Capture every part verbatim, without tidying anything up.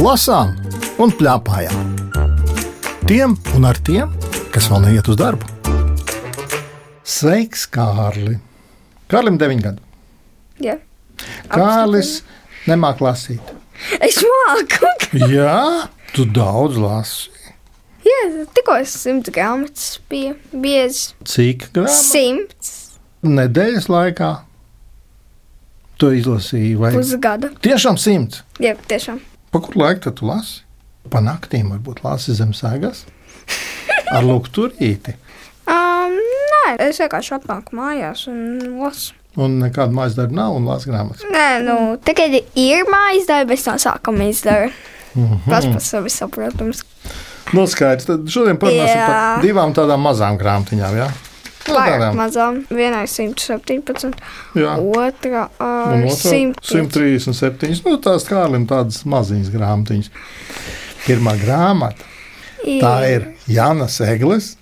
lasām un pļāpājām. Tiem un ar tiem, kas vēl neiet uz darbu. Sveiks, Kārli! Kārlim deviņi gadi. Jā. Kārlis nemāk lasīt. Es māku. Jā, tu daudz lasi. Jā, tikko simts grāmatas bija biezi. Cik grāmatas? Simts. Nedēļas laikā tu izlasīji vai? Pusgada. Tiešām simts? Jā, tiešām. Pa kur laiku tad tu lasi? Pa naktīm varbūt lasi zem sēgas? Ar lukturīti? Um, nē, es vienkārši atnāku mājās un lasu. Un nekāda mājas darba nav un lasi grāmatas? Nē, nu, tagad ir mājas darba, es no sākuma izdaru. Mhm. Pats par sevi saprotams. Nu, skaidrs. Tad šodien parunāsim Jā. par divām tādām mazām grāmatiņām, jā? Nu, Pārāk tādām. mazām. Vienai simt septiņpadsmit, Jā. otra Un uh, otrā simt simt trīsdesmit septiņas. Nu, tās Kārlim tādas maziņas grāmatiņas. Pirmā grāmata. Tā ir Jānas Egles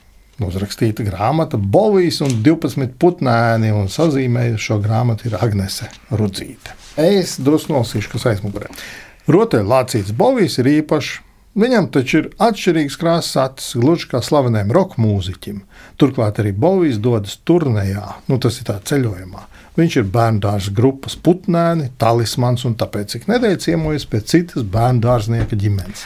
uzrakstīta grāmata Bovijs un divpadsmit putnēni, un sazīmēja šo grāmatu ir Agnese Rudzīte. Es drusku nolasīšu, kas aizmugurē. Rotaļlācīts Bovijs ir īpašs. Viņam taču ir atšķirīgs krāsas acis, gluži kā slaveniem roka mūziķim. Turklāt arī Bovijs dodas turnejā, nu tas ir tā ceļojumā. Viņš ir bērndārza grupas putnēni, talismans un tāpēc ik nedēļ ciemojas pie citas bērndārznieka ģimenes.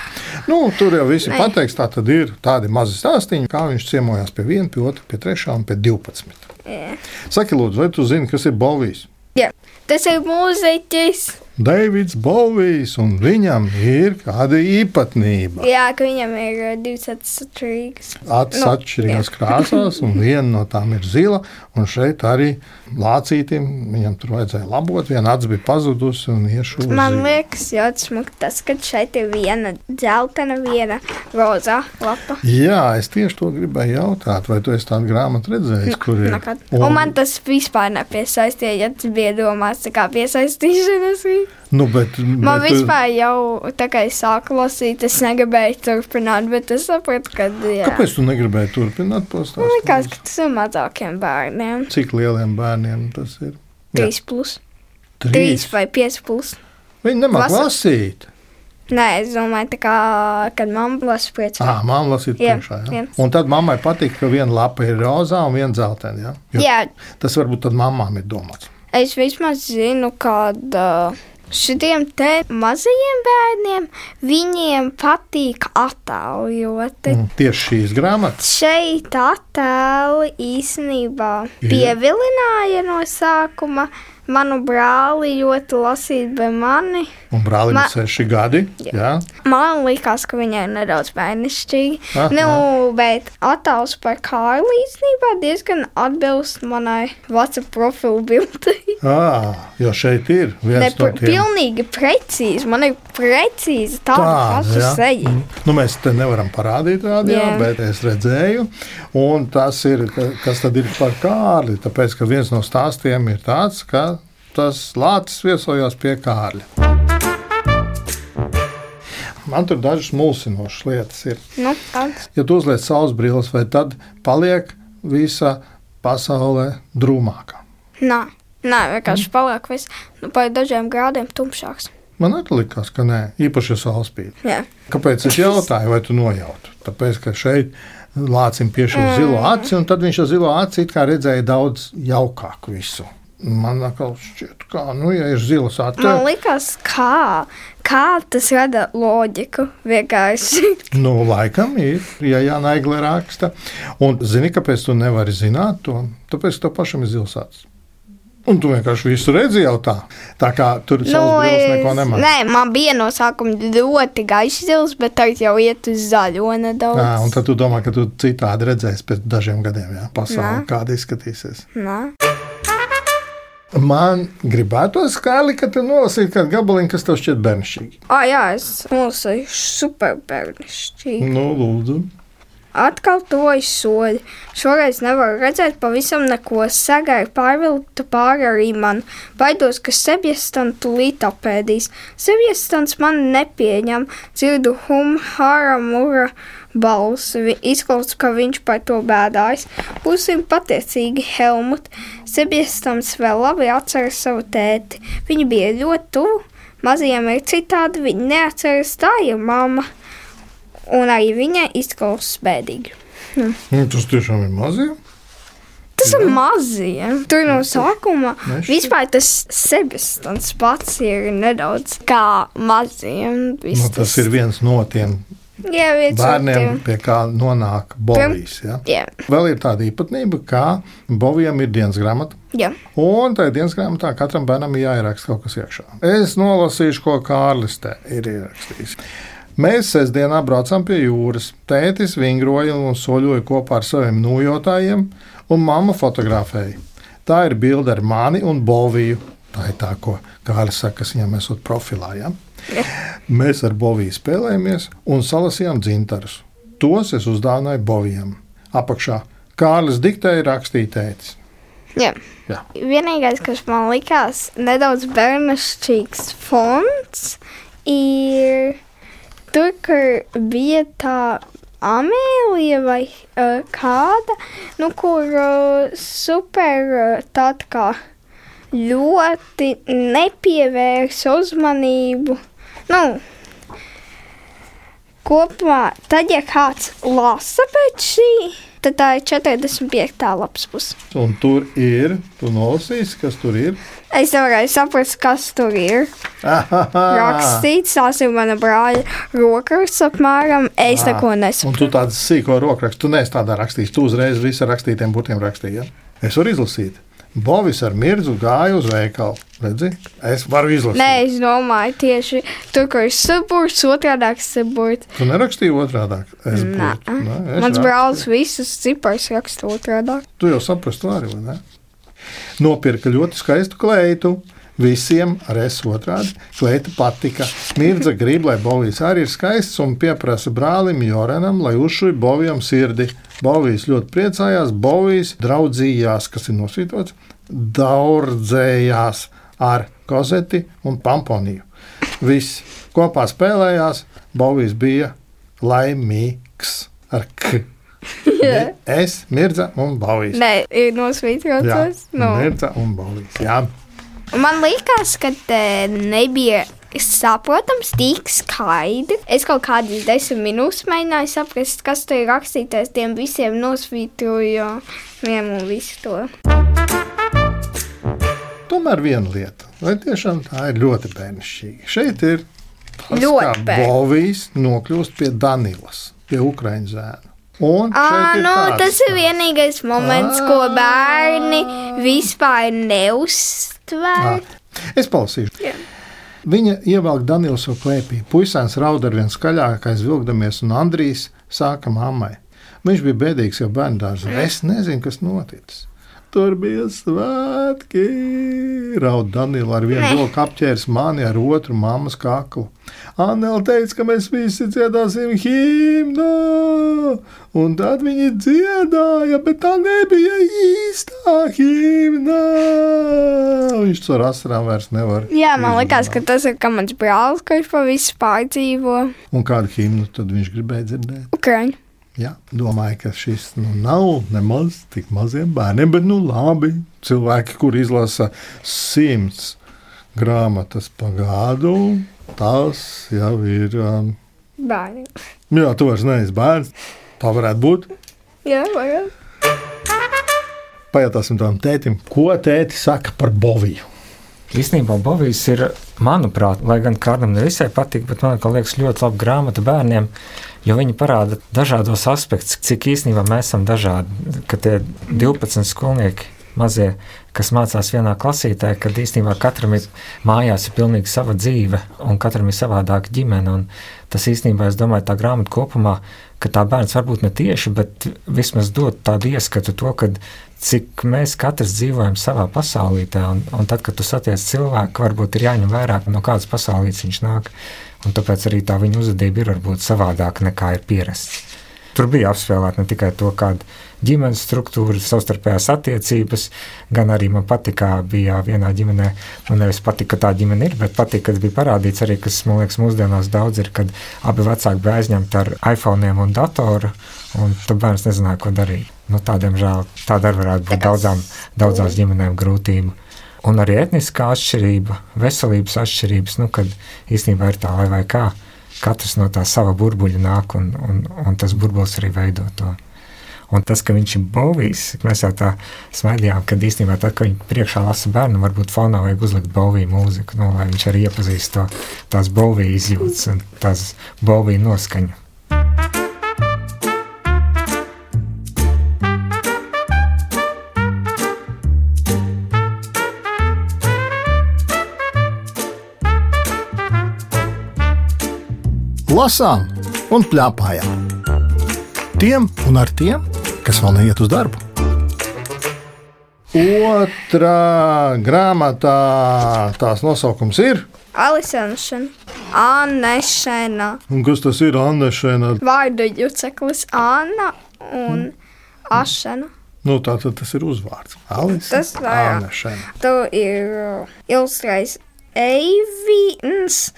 Nu, tur jau visi Nē. pateiks, tā tad ir tādi mazi stāstīņi, kā viņš ciemojās pie viena, pie otra, pie trešā un pie divpadsmit. Jā. Saki lūdzu, vai tu zini, kas ir Bovijs? Jā. Tas ir mūziķis. Deivids Bovijs, un viņam ir kāda īpatnība. Jā, ka viņam ir uh, divas acis atšķirīgas. Acis Nu, atšķirīgās krāsās, un viena no tām ir zila. Un šeit arī lācītim viņam tur vajadzēja labot. Viena acis bija pazudusi un iešūza. Man liekas, ļoti smuki tas, ka šeit ir viena dzeltena, viena rozā lapa. Jā, es tieši to gribēju jautāt, vai tu esi tādu grāmatu redzējis, kur ir? Nekad. Un, un man tas vispār nepiesaistīja, ja tas bija domāts tā kā piesaistīšanas. Nu, bet, Man bet, vispār jau tā kā es sāku lasīt, es negribēju turpināt, bet es sapratu, ka jā. Kāpēc tu negribēji turpināt postāstīt? Man liekas, ka tas ir mazākiem bērniem. Cik lieliem bērniem tas ir? Jā. Trīs plus. Trīs vai pieci plus. Viņi nemāk Lasa- lasīt. Nē, es domāju, tā kā, kad mamma lasa priecā. Ā, mamma lasīt Jā, priekšā, jā. jā. Un tad mammai patīk, ka viena lapa ir rozā un viena dzeltena, jā? Jo Jā, tas varbūt tad mammām ir domāts. es vismaz zinu, ka šitiem te mazajiem bērniem viņiem patīk attēloti. Mm, tieši šīs grāmatas. Šeit attēli īstenībā pievilināja no sākuma manu brāli ļoti lasīt bez mani. Un brālim Ma- ir seši gadi. Jā. Jā. Man likās, ka viņai ir nedaudz bērnišķīgi. Aha. Nu, bet attēls par Kārli īstenībā diezgan atbilst manai WhatsApp profilu bildei. À, jo šeit ir viens Ne, no pr- tiem. pilnīgi precīzi. Man ir precīzi tāda Tāda, paša jā. seja. Mm. Nu, mēs te nevaram parādīt rādījā, Jā. bet es redzēju. Un tas ir, ka- kas tad ir par Kārli. Tāpēc, ka viens no stāstiem ir tāds, ka tas lācis viesojās pie Kārļa. Man tur dažas mulsinošas lietas ir. Nu, tāds. Ja tu uzliec saules brilles, vai tad paliek visa pasaulē drūmāka? Nē, nē, vienkārši paliek viss nu, par dažiem grādiem tumšāks. Man arī likās, ka nē, īpaši ja saule spīd. Jā. Kāpēc es jautāju, vai tu nojautu? Tāpēc, ka šeit lācim piešķir zilo aci, un tad viņš ar zilo aci it kā redzēja daudz jaukāku visu. Man atkal šķiet, kā, nu, ja ir zilas acis, Man liekas, kā, kā tas rada loģiku vienkārši. nu, laikam ir, ja Jāna Egle raksta. Un zini, kāpēc tu nevari zināt to? Tāpēc, ka tev pašam ir zils acis. Un tu vienkārši visu redzi jau tā. Tā kā tur savas brilles neko nemāc. nē, man bija no sākuma ļoti gaišs zils, bet tagad jau iet uz zaļo nedaudz. Jā, un tad tu domā, ka tu citādi redzēsi pēc dažiem gadiem, jā, pasauli, Nē. kāda izskatīsies. Nē. Man gribētos, Kārli, ka tu nolasītu kādu gabaliņu, kas tev šķiet bērnišķīgi. Ah, jā, es nolasīju super bērnišķīgi. Nu, lūdzu. Atkal tojas soļi. Šoreiz nevaru redzēt pavisam neko. Sagāju pārvilkta pāri arī man. Baidos, ka Sebjestans tūlīt apēdīs. Sebjestans man nepieņem. Dzirdu hum, hara, mura balsi. Vi- Izklausās, ka viņš par to bēdājas. Būsim pateicīgi, Helmut. Sebjestans vēl labi atceras savu tēti. Viņi bija ļoti tuvu. mazajiem ir citādi, viņi neatceras, tā ir mamma. Un arī viņai izklausās bēdīgi. Hm. Nu, tas tiešām ir mazajiem? Tas jā. Ir mazajiem. Tur no sākuma Nešķi. Vispār tas sebestants pats ir nedaudz kā mazajiem. Nu, tas ir viens no tiem jā, bērniem, pie kā nonāk bovijas. Ja? Jā. Vēl ir tāda īpatnība, ka bovijam ir dienas grāmata. Jā. Un tajā dienas grāmatā katram bērnam ir jāieraksta kaut kas iekšā. Es nolasīšu, ko Kārlis te ir ierakstījis. Mēs sestdienā braucām pie jūras. Tētis vingroja un soļoja kopā ar saviem nojotājiem, un mamma fotografēja. Tā ir bilde ar mani un boviju. Tā ir tā, ko Kārlis saka, kas viņam esot profilā. Ja? Mēs ar boviju spēlējamies un salasījām dzintarus. Tos es uzdāvināju bovijam. Apakšā Kārlis diktēja, rakstīja tētis. Jā. Jā. Vienīgais, kas man likās nedaudz bērnišķīgs fonts, ir tur, kur bija tā Amēlija vai uh, kāda, nu, kur uh, super uh, tāda kā ļoti nepievērsa uzmanību. Nu, kopumā, tad, ja kāds lasa pēc šī, tad tā ir četrdesmit piekta lapas puse. Un tur ir, tu nolasīsi, kas tur ir? Es nevarēju saprast, kas tur ir. Rakstīts, tās ir mana brāļa rokraksts apmēram, es ah, neko nesaprotu. Un tu tādu sīko rokrakstu, tu neesi tādā rakstījis, tu uzreiz visu ar rakstītiem burtiem rakstīji, ja? Es varu izlasīt. Bovis ar Mirdzu gāja uz veikalu. Redzi? Es varu izlasīt. Nē, es domāju tieši tur, kur ir saburts, otrādāk saburts. Tu nerakstīji otrādāk? Es Nā. būtu. Nē, es Mans rakstu. brālis visus cipars raksta otrādāk. Tu jau saprastu arī, vai ne? Nopirka ļoti skaistu kleitu. Visiem ar es otrādi. Kleita patika. Mirdza grib, lai Bovijs arī ir skaists un pieprasa brālim Jorenam, lai uzšuj Bovijam sirdi. Bovijs ļoti priecājās. Bovijs draudzījās, kas ir nosvītots, daudzējās ar kozeti un pamponiju. Visi kopā spēlējās. Bovijs bija laimīgs ar k. Yeah. Es, Mirdza un Bovijs. Nē, ir nosvītrots. No. Mirdza un Bovijs, jā. Man liekas, ka nebija saprotams tik skaidri. Es kaut kādas desmit minūtes mēģināju saprast, kas tur ir rakstītais. Tiem visiem nosvītroju vienu un visu to. Tomēr viena lieta, vai tiešām tā ir ļoti bērnišķīga. Šeit ir tas, ļoti kā Bovijs nokļūst pie Danilas, pie Ukraiņu zēna. Un à, ir nu, tāds, tas ir vienīgais moments, à. Ko bērni vispār neuztver. Es palasīšu. Jā. Viņa ievelk Danielu savu klēpī. Puisēns raud ar vien skaļāk, aizvilkdamies, un Andrijs sāka mammai. Viņš bija bēdīgs jau bērndārzā. Es nezinu, kas noticis. Tur bija svētki. Raud Daniela ar vienu roku apķēris mani, ar otru mammas kaklu. Annela teica, ka mēs visi dziedāsim himnu. Un tad viņi dziedāja, bet tā nebija īstā himna. Viņš ar asarām vairs nevar. Jā, man liekas, ka tas ir kā mans brālis, kurš pa visu pārdzīvo. Un kādu himnu tad viņš gribēja dzirdēt? Ukraiņu. Jā, domāju, ka šis nu, nav nemaz tik maziem bērniem, bet nu labi. Cilvēki, kur izlasa simts grāmatas pa gadu, tas jau ir... Um... Bērni. Jā, tu vairs neesi bērns. Tā varētu būt. Jā, vajag. Pajautāsim tam tētim, ko tēti saka par Boviju. Īstenībā Bovijs ir, manuprāt, lai gan kādam nevisai patīk, bet man liekas ļoti laba grāmata bērniem, jo viņi parāda dažādos aspektus, cik īstenībā mēs esam dažādi, ka tie divpadsmit skolnieki mazie, kas mācās vienā klasītē, kad īstenībā katram ir mājās ir pilnīgi sava dzīve un katram ir savādāka ģimene, un tas īstenībā, es domāju, tā grāmata kopumā, ka tā bērns varbūt ne tieši, bet vismaz dod tādu ieskatu to, kad cik mēs katrs dzīvojam savā pasaulītē, un, un tad, kad tu satiec cilvēku, varbūt ir jāņem vērā, no kādas pasaulītes viņš nāk, un tāpēc arī tā viņa uzvedība ir varbūt savādāka nekā ir pierasts. Tur bija apspēlēt ne tikai to, kāda ģimenes struktūra, savstarpējās attiecības, gan arī man patika, bija vienā ģimenē, man nevis patika, ka tā ģimene ir, bet patika, kad bija parādīts arī, kas, man liekas, mūsdienās daudz ir, kad abi vecāki bija aizņemti ar iPhoneiem un datoru, un tad bērns nezināja, ko darīt. Nu, tādiem žēl, tāda arī varētu būt daudzām, daudzās ģimenēm grūtība. Un arī etniskā atšķirība, veselības atšķirības, nu, kad īstenībā ir tā lai vai kā, katrs no tā sava burbuļa nāk, un, un, un tas burbulis arī veido to. Un tas, ka viņš ir Bovijs, mēs jau tā smaidījām, kad īstenībā tad, kad viņi priekšā lasa bērnu, varbūt fonā vajag uzlikt Boviju mūziku, nu, lai viņš arī iepazīst to, tās Boviju izjūtas un tās Boviju noskaņu. Lasām un pļāpājām. Tiem un ar tiem, kas vēl neiet uz darbu. Otrā grāmatā tās nosaukums ir Alisanšana, Annešana. Un kas tas ir Annešana? Vārdu juceklis Anna un Ašana. Nu, tā tad tas ir uzvārds. Alisa, Tas var- Annešana. Tu ir uh, ilustrējis Eivīns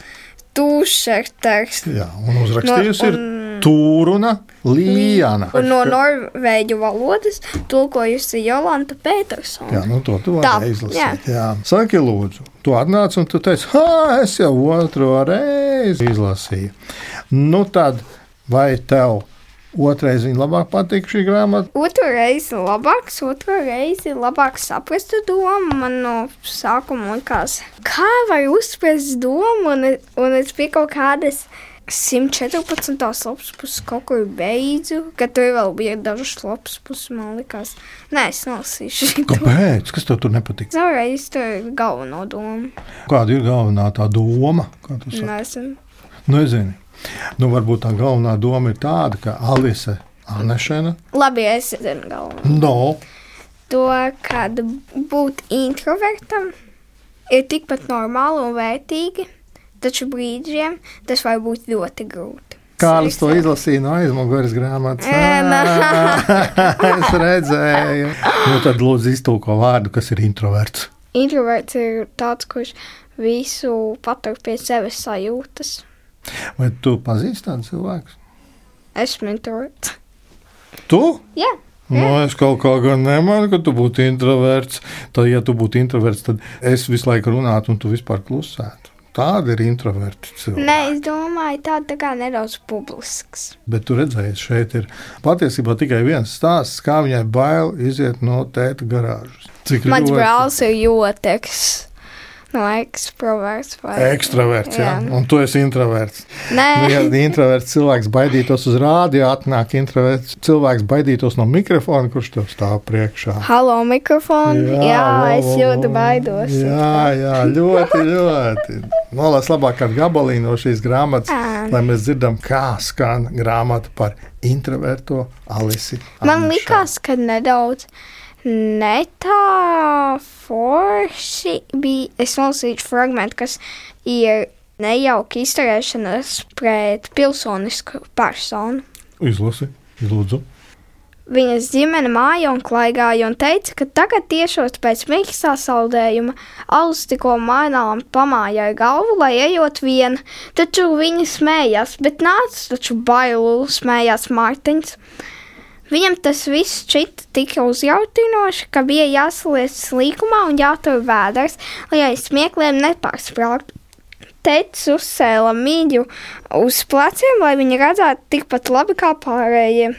Tūšerters. Jā, un uzrakstījusi No- ir Tūruna Lījana. Un no norvēģu valodas tulkojusi Jolanta Petersona. Jā, nu to tu Tā, vari izlasīt. Jā. Saki, lūdzu, tu atnāc un tu teici, ha, es jau otro reizi izlasīju. Nu tad, vai tev otrais viņa labāk patīk šī grāmata? Otru reizi labāks, otru reizi labāk saprastu domu. Man no sākuma likās, kā var uzsprast domu, un, un es pie kaut kādas simt četrpadsmitās lapas puses kaut kur beidzu, kad tur vēl bija dažas lapas puses, man likās. Nē, es nolasīšu šito. Kāpēc? Kas tev tur nepatīk? Vēlreiz tur ir galveno domu. Kāda ir galvenā tā doma? Kā tu saki? Nezinu. Nezini. Nu, varbūt tā galvenā doma ir tāda, ka Alise Annešana, Labi, es zinu galveno. no, To, kad būt introvertam ir tikpat normāli un vērtīgi, taču brīžiem tas var būt ļoti grūti. Kārlis to izlasīja no aizmugures grāmatas. Ē, nā. Es redzēju. Nu, tad lūdzu iztulko vārdu, kas ir introverts. Introverts ir tāds, kurš visu patur pie sevis sajūtas. Vai tu pazīsti tādu cilvēku? Esmu introverts. Tu? Jā. Nu, es kaut kā gan nemanu, ka tu būtu introverts. Tad, ja tu būtu introverts, tad es visu laiku runātu un tu vispār klusētu. Tāda ir introverti cilvēki. Nē, es domāju, tāda tā kā nedaudz publisks. Bet tu redzēji, šeit ir patiesībā tikai viens stāsts, kā viņai bail iziet no tēta garāžas. Cik Mans ļoti- brālis ir jūteks. No ekstroverts vai... Ekstraverts, jā. Jā. Un tu esi introverts. Nē. Nu, ja introverts cilvēks baidītos uz rādio, atnāk introverts cilvēks baidītos no mikrofona, kurš tev stāv priekšā. Halo, mikrofonu. Jā, jā vo, es vo, ļoti vo. baidos. Jā, jā, ļoti, ļoti. Nolās labāk kādu gabaliņu no šīs grāmatas, Ā. lai mēs dzirdam, kā skan grāmata par introverto Alisi. Man Annešanu. likās, ka nedaudz ne tā forši bija. Es nolasīju fragmentu, kas ir nejauka izturēšanās pret pilsonisku personu. Izlasi, lūdzu. Viņas ģimene māja un klaigāja un teica, ka tagad tiešot pēc mīkstā saldējuma alus tikko mainām pamājāja galvu, lai ejot viena. Taču viņa smējās, bet nāca taču bailu, smējās Mārtiņš. Viņam tas viss šķita tik uzjautinoši, ka bija jāsaliec slīkumā un jātur vēders, lai aiz smiekliem nepārsprāgtu. Tētis uzsēla mīļu uz pleciem, lai viņi redzētu tikpat labi kā pārējie.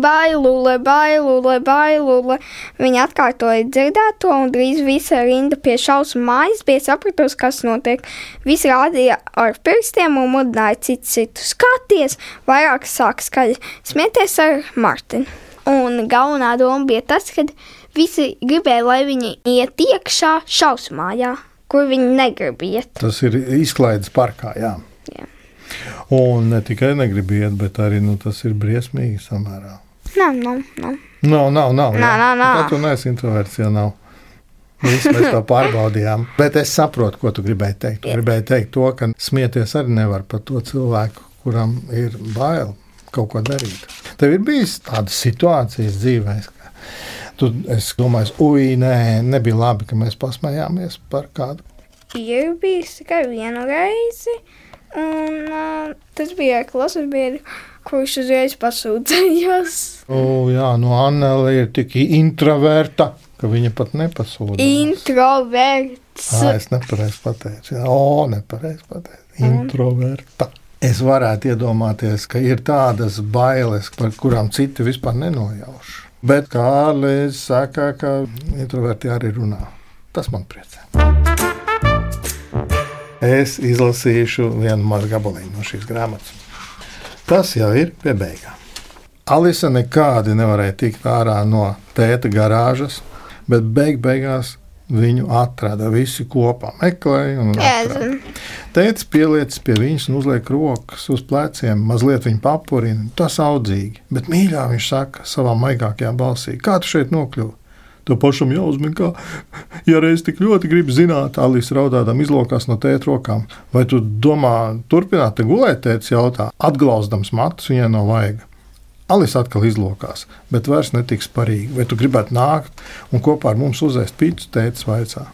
Bailule, bailule, bailule. Viņa atkārtoja dzirdēto, un drīz visa rinda pie šausmu mājas bija sapratusi, kas notiek. Visi rādīja ar pirkstiem un mudināja citu citu. Skaties, vairāk sāk skaļi smieties ar Martinu. Un galvenā doma bija tas, ka visi gribēja, lai viņi iet iekšā šausmu mājā, kur viņi negrib iet. Tas ir izklaides parkā, jā. Jā. Un ne tikai negrib iet, bet arī nu, tas ir briesmīgi samērā. Nav, nav, nav. Nav, nav, nav. Nā, nā, nā. Tā tu neesi introverts, ja nav. Viss mēs to pārbaudījām. Bet es saprotu, ko tu gribēji teikt. Tu gribēji teikt to, ka smieties arī nevar par to cilvēku, kuram ir bail kaut ko darīt. Tev ir bijis tādas situācijas dzīvēs, ka tu, es domāju, ui, nē, nebija labi, ka mēs pasmējāmies par kādu. Ir bijis tikai vienu reizi, un uh, tas bija ar klases biedru. kurš uzreiz pasūdzējās. O, jā, no Annele ir tik introverta, ka viņa pat nepasūdzējās. Introverts. Ā, es nepareiz pateicu. Jā, o, nepareiz pateicu. Introverta. Es varētu iedomāties, ka ir tādas bailes, par kurām citi vispār nenojauš. Bet Kārlis saka, ka introverti arī runā. Tas man priecē. Es izlasīšu vienu mazu gabaliņu no šīs grāmatas. Tas jau ir pie beigām. Alisa nekādi nevarēja tikt ārā no tēta garāžas, bet beig beigās viņu atrada visi kopā, meklēja un atrada. Tētis pieliec pie viņas un uzliek rokas uz pleciem, mazliet viņu papurina. Tas audzīgi, bet mīļā viņš saka savā maigākajā balsī: kā tu šeit nokļuvi? To pašam jāuzmin, kā, ja reiz tik ļoti grib zināt, Alisa raudādam izlokās no tēta rokām. Vai tu domā turpināt te gulēt, tētis jautā, atglauzdams matus viņai no vaiga. Alisa atkal izlokās, bet vairs netiks parīgi. Vai tu gribētu nākt un kopā ar mums uzēst picu, tētis vaicā.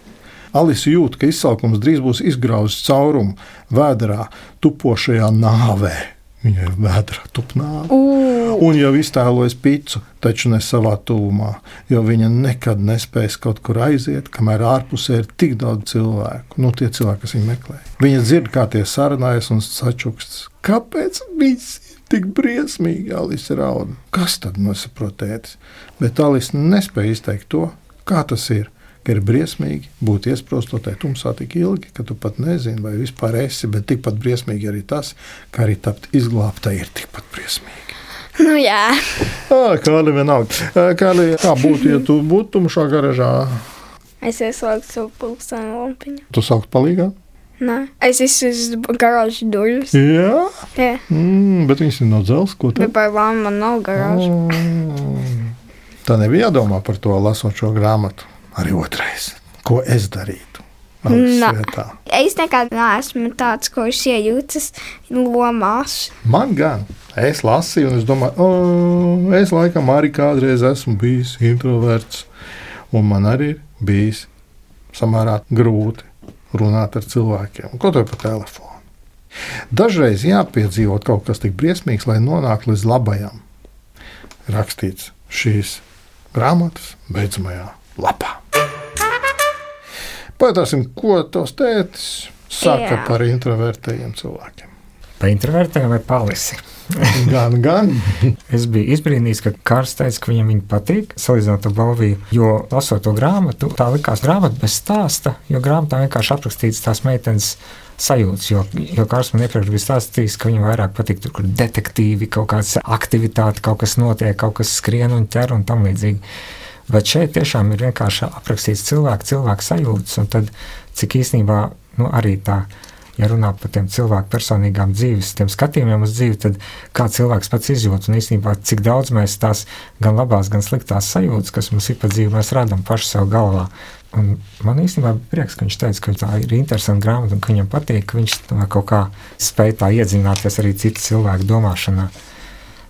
Alisa jūt, ka izsalkums drīz būs izgrauzis caurumu vēderā tupošajā nāvē. Viņai vēdra tup nāve. Un jau iztēlojas picu, taču ne savā tuvumā, jo viņa nekad nespēs kaut kur aiziet, kamēr ārpusē ir tik daudz cilvēku, nu tie cilvēki, kas viņu meklē. Viņa dzird, kā tie sarunājas un sačuksts. Kāpēc viss ir tik briesmīgi, Alisa rauda? Kas tad nesaprot tētis? Bet Alisa nespēja izteikt to, kā tas ir, ka ir briesmīgi būt iesprostotai tumsā tik ilgi, ka tu pat nezini, vai vispār esi, bet tikpat briesmīgi arī tas, ka arī tapt izglābtai ir tikpat briesmīgi. Nu jā. Ā, Kārli vienalga. Kārli, kā būtu, ja tu būtu tumšā garažā? Es ieslēgtu savu pulksteni lampiņu. Tu saukt palīgā? Nē, es esmu garāžas durvis. Jā? Jā. Mm, bet viņas ir no dzels, ko tad? Bet par lām man nav garāža. Mm. Tā nebija jādomā par to, lasot šo grāmatu. Arī otrais. Ko es darītu? Nā, es nekad neesmu tāds, kurš iejūtas lomās. Man gan. Es lasīju un es domāju, o, es laikam arī kādreiz esmu bijis introverts. Un man arī ir bijis samērā grūti runāt ar cilvēkiem. Ko to pa telefonu? Dažreiz jāpiedzīvot kaut kas tik briesmīgs, lai nonāktu līdz labajam. Rakstīts šīs grāmatas beidzamajā lapā. Pajautāsim, ko tos tētis saka Jā. Par introvertējiem cilvēkiem. Par introvertējiem vai palisi? Gan, gan. Es biju izbrīnījis, ka Kārs teica, ka viņam viņa patīk, salīdzinot ar Balviju, jo lasot to grāmatu, tā likās grāmata bez stāsta, jo grāmatā vienkārši aprakstīts tās meitenes sajūtas, jo, jo Kārs man iepriekš bija stāstījis, ka viņam vairāk patīk tur, kur detektīvi, kaut kāds aktivitāte, kaut kas notiek, kaut kas skrien un ķer un tam līdzīgi. Bet šeit tiešām ir vienkārši aprakstīts cilvēku, cilvēku sajūtas, un tad, cik īstenībā, nu, arī tā, ja runā par tiem cilvēku personīgām dzīves, tiem skatījumiem uz dzīvi, tad kā cilvēks pats izjūt, un īstenībā, cik daudz mēs tās gan labās, gan sliktās sajūtas, kas mums ir pa dzīvi, mēs radam paši sev galvā. Un man īstenībā bija prieks, ka viņš teica, ka tā ir interesanta grāmata, un ka viņam patīk, ka viņš kaut kā spēj tā iedzināties arī citu cilvēku domāšanā.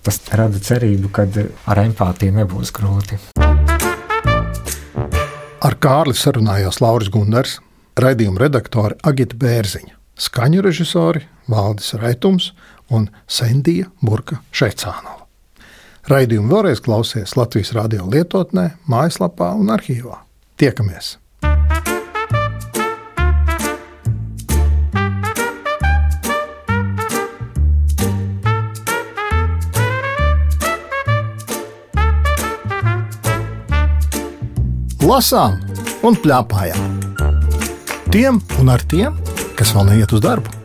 Tas rada cerību, ka ar empātiju nebūs grūti. Ar Kārli sarunājās Lauris Gundars, raidījuma redaktori Agita Bērziņa, skaņu režisori Valdis Raitums un Sendija Burka Šeicānova. Raidījumu vēlreiz klausies Latvijas radio lietotnē, mājaslapā un arhīvā. Tiekamies! Lasām un pļāpājām. Tiem un ar tiem, kas vēl neiet uz darbu.